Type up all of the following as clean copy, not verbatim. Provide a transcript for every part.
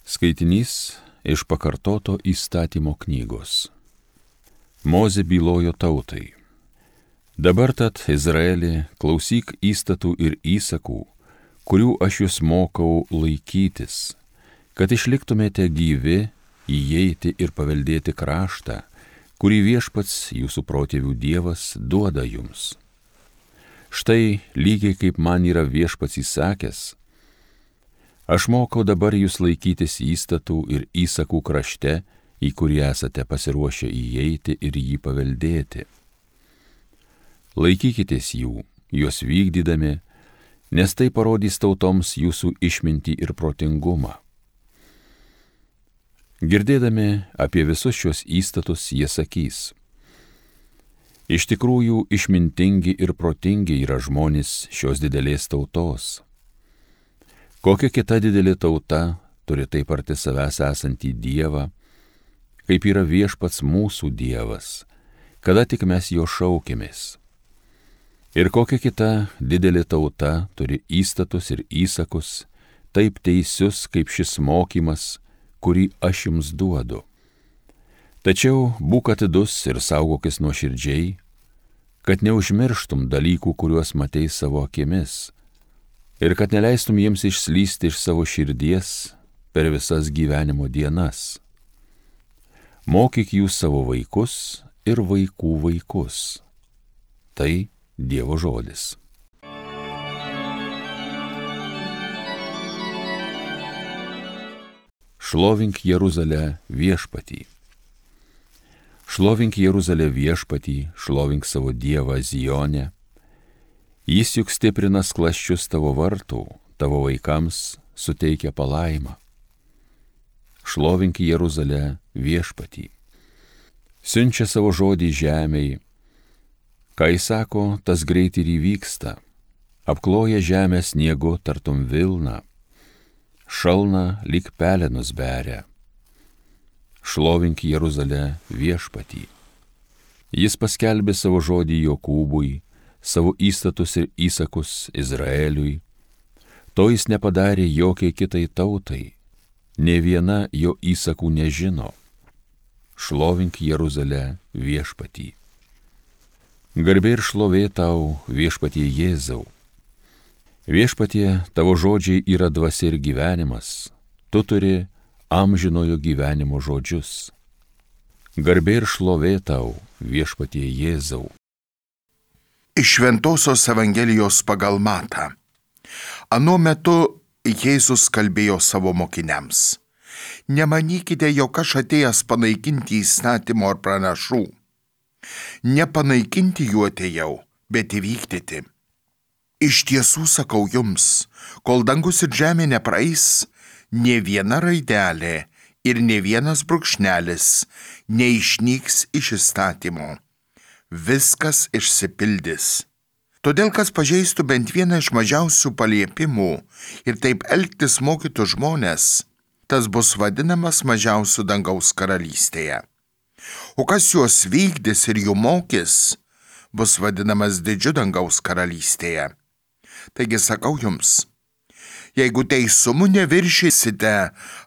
Skaitinys iš pakartoto įstatymo knygos. Mozė bylojo tautai. Dabar tad, Izraeli, klausyk įstatų ir įsakų, kurių aš jūs mokau laikytis, kad išliktumėte gyvi, įeiti ir paveldėti kraštą, kurį viešpats jūsų protėvių Dievas duoda jums. Štai lygiai kaip man yra viešpats įsakęs, aš mokau dabar jūs laikytis įstatų ir įsakų krašte, į kurį esate pasiruošę įeiti ir jį paveldėti. Laikykitės jų, juos vykdydami, nes tai parodys tautoms jūsų išmintį ir protingumą. Girdėdami apie visus šios įstatus, jie sakys: iš tikrųjų išmintingi ir protingi yra žmonės šios didelės tautos. Kokia kita didelė tauta turi taip arti savęs esantį Dievą, kaip yra viešpats mūsų Dievas, kada tik mes jo šaukėmės. Ir kokia kita didelė tauta turi įstatus ir įsakus, taip teisius kaip šis mokymas, kurį aš jums duodu. Tačiau būk atidus ir saugokis nuoširdžiai, kad neužmirštum dalykų, kuriuos matei savo akimis, ir kad neleistum jiems išslysti iš savo širdies per visas gyvenimo dienas. Mokyk jūs savo vaikus ir vaikų vaikus. Tai Dievo žodis. Šlovink Jeruzalę viešpatį. Šlovink Jeruzalę viešpatį, šlovink savo Dievą Zione. Jis juk stiprina sklasčius tavo vartų, tavo vaikams suteikia palaimą. Šlovink Jeruzalę viešpatį. Siunčia savo žodį žemei, ką jis sako, tas greit ir įvyksta. Apkloja žemę sniegu tartum vilna, šalna lyg pelenus beria. Šlovink Jeruzalę viešpatį. Jis paskelbė savo žodį Jokūbui, savo įstatus ir įsakus Izraeliui. To jis nepadarė jokiai kitai tautai, nė viena jo įsakų nežino. Šlovink Jeruzalę viešpatį. Garbė ir šlovė tau, viešpatie Jėzau. Viešpatie, tavo žodžiai yra dvasia ir gyvenimas, tu turi amžinojo gyvenimo žodžius. Garbė ir šlovė tau, viešpatie Jėzau. Iš Šventosios Evangelijos pagal Matą. Anuo metu Jėzus kalbėjo savo mokiniams: nemanykite, jog aš atėjęs panaikinti įstatymo ar pranašų. Nepanaikinti jų atėjau, bet įvykdyti. Iš tiesų sakau jums, kol dangus ir žemė nepraeis, nė viena raidelė ir nė vienas brūkšnelis neišnyks iš įstatymo. Viskas išsipildys. Todėl, kas pažeistų bent vieną iš mažiausių paliepimų ir taip elgtis mokytų žmonės, tas bus vadinamas mažiausiu dangaus karalystėje. O kas juos vykdys ir jų mokys, bus vadinamas didžiu dangaus karalystėje. Taigi sakau jums, jeigu teisumu neviršysite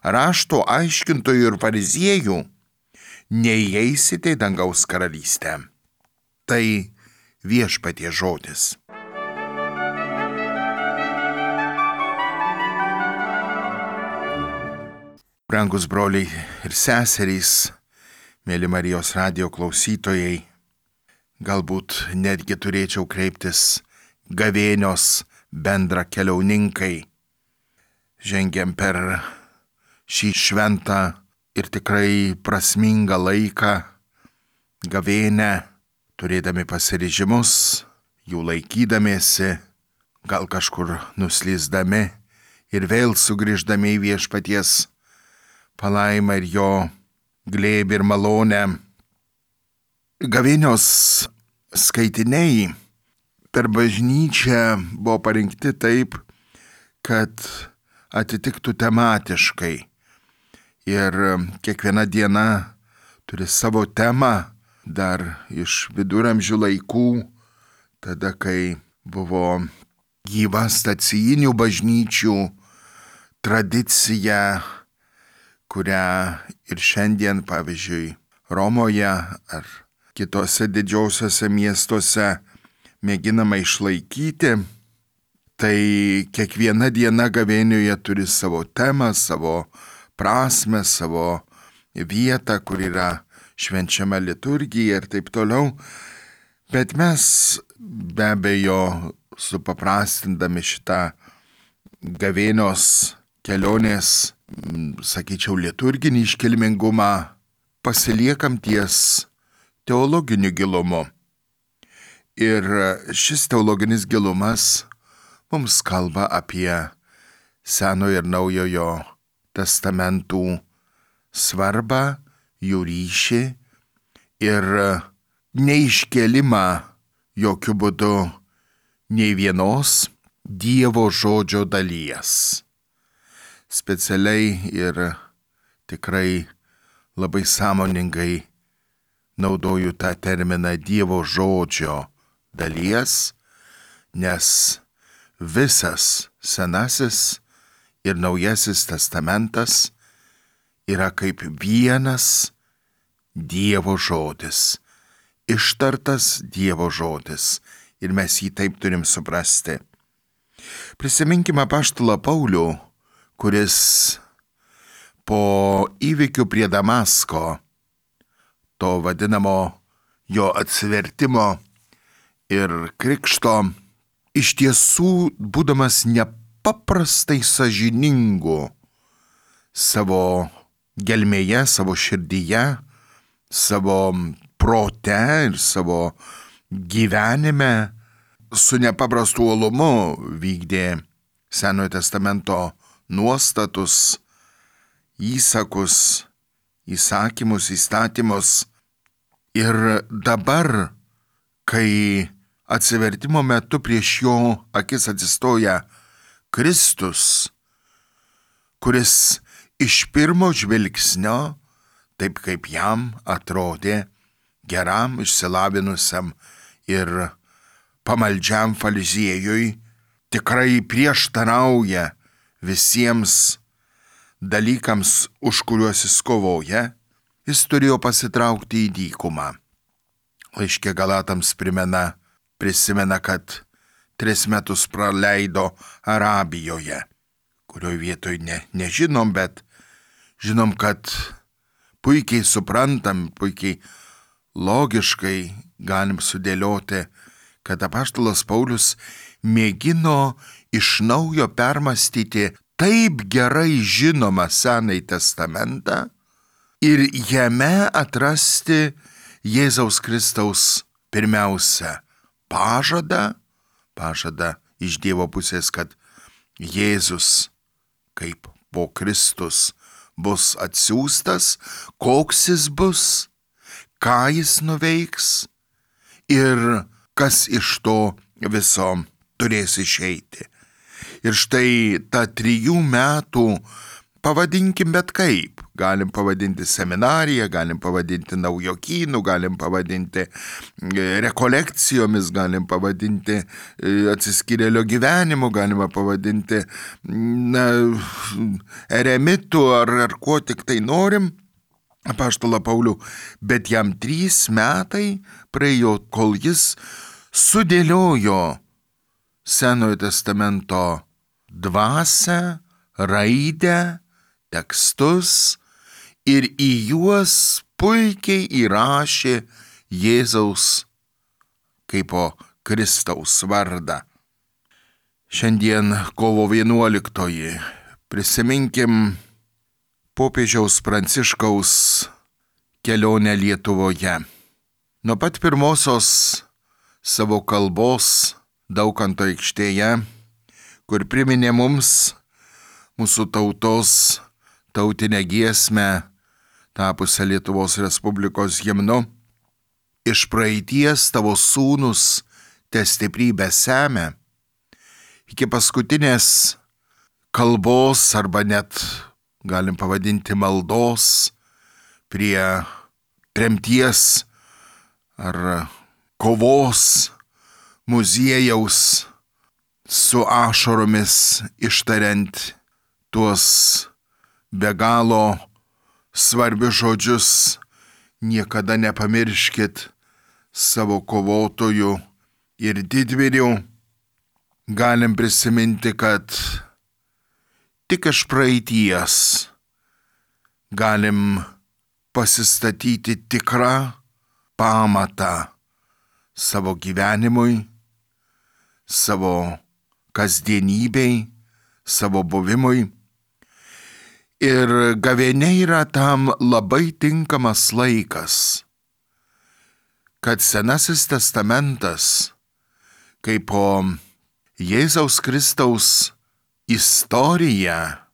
rašto aiškintojų ir fariziejų, neįeisite į dangaus karalystę. Tai viešpaties žodis. Brangus broliai ir seserys, mėly Marijos radijo klausytojai, galbūt netgi turėčiau kreiptis gavėnios bendra keliauninkai. Žengiam per šį šventą ir tikrai prasmingą laiką, gavėnę, turėdami pasiryžimus, jų laikydamiesi, gal kažkur nuslysdami ir vėl sugrįždami į viešpaties palaimą ir jo glėbį ir malonę. Gavėnios skaitiniai per bažnyčią buvo parinkti taip, kad atitiktų tematiškai. Ir kiekviena diena turi savo temą, dar iš viduramžių laikų, tada kai buvo gyva stacijinių bažnyčių tradicija kurią ir šiandien, pavyzdžiui, Romoje ar kitose didžiausiose miestuose mėginama išlaikyti, tai kiekviena diena gavėnioje turi savo temą, savo prasmę, savo vietą, kur yra švenčiama liturgija ir taip toliau. Bet mes be abejo supaprastindami šitą gavėnios kelionės, sakyčiau, liturginį iškilmingumą, pasiliekam ties teologiniu gilumu. Ir šis teologinis gilumas mums kalba apie Senojo ir Naujojo testamentų svarbą, jų ryšį ir neiškėlimą jokių būdų nei vienos Dievo žodžio dalies. Specialiai ir tikrai labai sąmoningai naudoju tą terminą Dievo žodžio dalies, nes visas Senasis ir Naujasis testamentas yra kaip vienas Dievo žodis, ištartas Dievo žodis, ir mes jį taip turim suprasti. Prisiminkime apaštalą Paulių, kuris po įvykių prie Damasko, to vadinamo jo atsivertimo ir krikšto, iš tiesų, būdamas nepaprastai sąžiningu savo gelmėje, savo širdyje, savo prote ir savo gyvenime, su nepaprastu uolumu vykdė Senojo testamento nuostatus, įsakus, įsakymus, įstatymus. Ir dabar, kai atsivertimo metu prieš jo akis atsistoja Kristus, kuris iš pirmo žvilgsnio, taip kaip jam atrodė, geram, išsilavinusiam ir pamaldžiam fariziejui, tikrai prieštarauja visiems dalykams, už kuriuos jis kovoja, jis turėjo pasitraukti į dykumą. Laiške Galatams prisimena, kad 3 metus praleido Arabijoje, kurioje vietoje nežinom, bet žinom, kad puikiai suprantam, puikiai logiškai galim sudėlioti, kad apaštalas Paulius mėgino iš naujo permastyti taip gerai žinomą Senąjį testamentą ir jame atrasti Jėzaus Kristaus pirmiausia pažadą iš Dievo pusės, kad Jėzus kaip po Kristus bus atsiųstas, koks jis bus, ką jis nuveiks ir kas iš to viso turės išeiti. Ir štai tą 3 metų, pavadinkim bet kaip, galim pavadinti seminariją, galim pavadinti naujokynu, galim pavadinti rekolekcijomis, galim pavadinti atsiskyrėlio gyvenimu, galima pavadinti eremitu ar kuo tik tai norim, apaštalą Paulių, bet jam 3 metai praėjo, kol jis sudėliojo Senojo testamento dvasią, raidę, tekstus ir į juos puikiai įrašė Jėzaus kaip po Kristaus vardą. Šiandien kovo 11. Prisiminkim popiežiaus Pranciškaus kelionę Lietuvoje. Nuo pat pirmosios savo kalbos Daukanto aikštėje, kur priminė mums mūsų tautos tautinę giesmę, tapusią Lietuvos Respublikos himnu, iš praeities tavo sūnus te stiprybę semia, iki paskutinės kalbos arba net galim pavadinti maldos prie tremties ar kovos muziejaus, su ašaromis ištariant tuos be galo svarbius žodžius: niekada nepamirškit savo kovotojų ir didvyrių. Galim prisiminti, kad tik iš praeities galim pasistatyti tikrą pamatą savo gyvenimui, savo kasdienybei, savo buvimui. Ir gavėnia yra tam labai tinkamas laikas, kad Senasis testamentas, kaip po Jėzaus Kristaus istorija,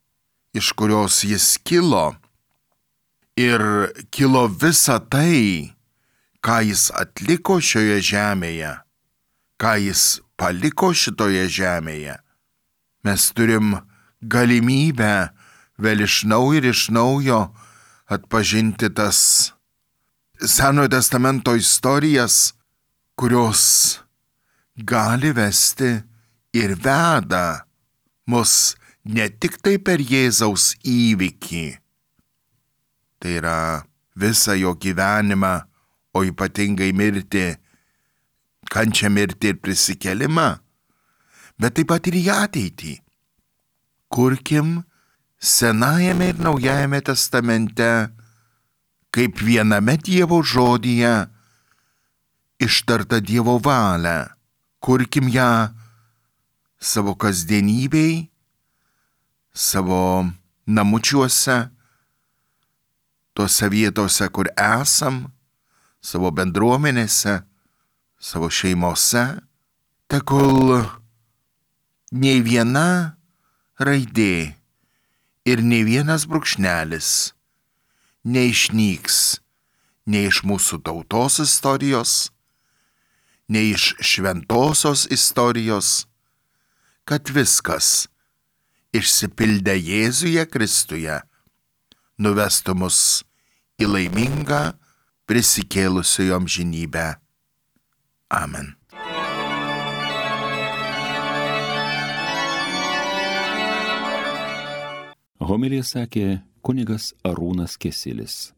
iš kurios jis kilo, ir kilo visa tai, ką jis atliko šioje žemėje, ką jis paliko šitoje žemėje. Mes turim galimybę vėl iš naujo atpažinti tas Senojo testamento istorijas, kurios gali vesti ir veda mus ne tik tai per Jėzaus įvykį, tai yra visą jo gyvenimą, o ypatingai mirtį, kančią, mirtį ir prisikėlimą, bet taip pat ir į ateitį. Kurkim Senajame ir Naujajame testamente, kaip viename Dievo žodyje, ištarta Dievo valia. Kurkim ją savo kasdienybei, savo namučiuose, tose vietose, kur esam, savo bendruomenėse, savo šeimose, tegul nei viena raidė ir nei vienas brūkšnelis neišnyks nei iš mūsų tautos istorijos, nei iš šventosios istorijos, kad viskas išsipildę Jėzuje Kristuje nuvestų mus į laimingą prisikėlusiojo amžinybę. Amen. Homiliją sakė kunigas Arūnas Kesilis.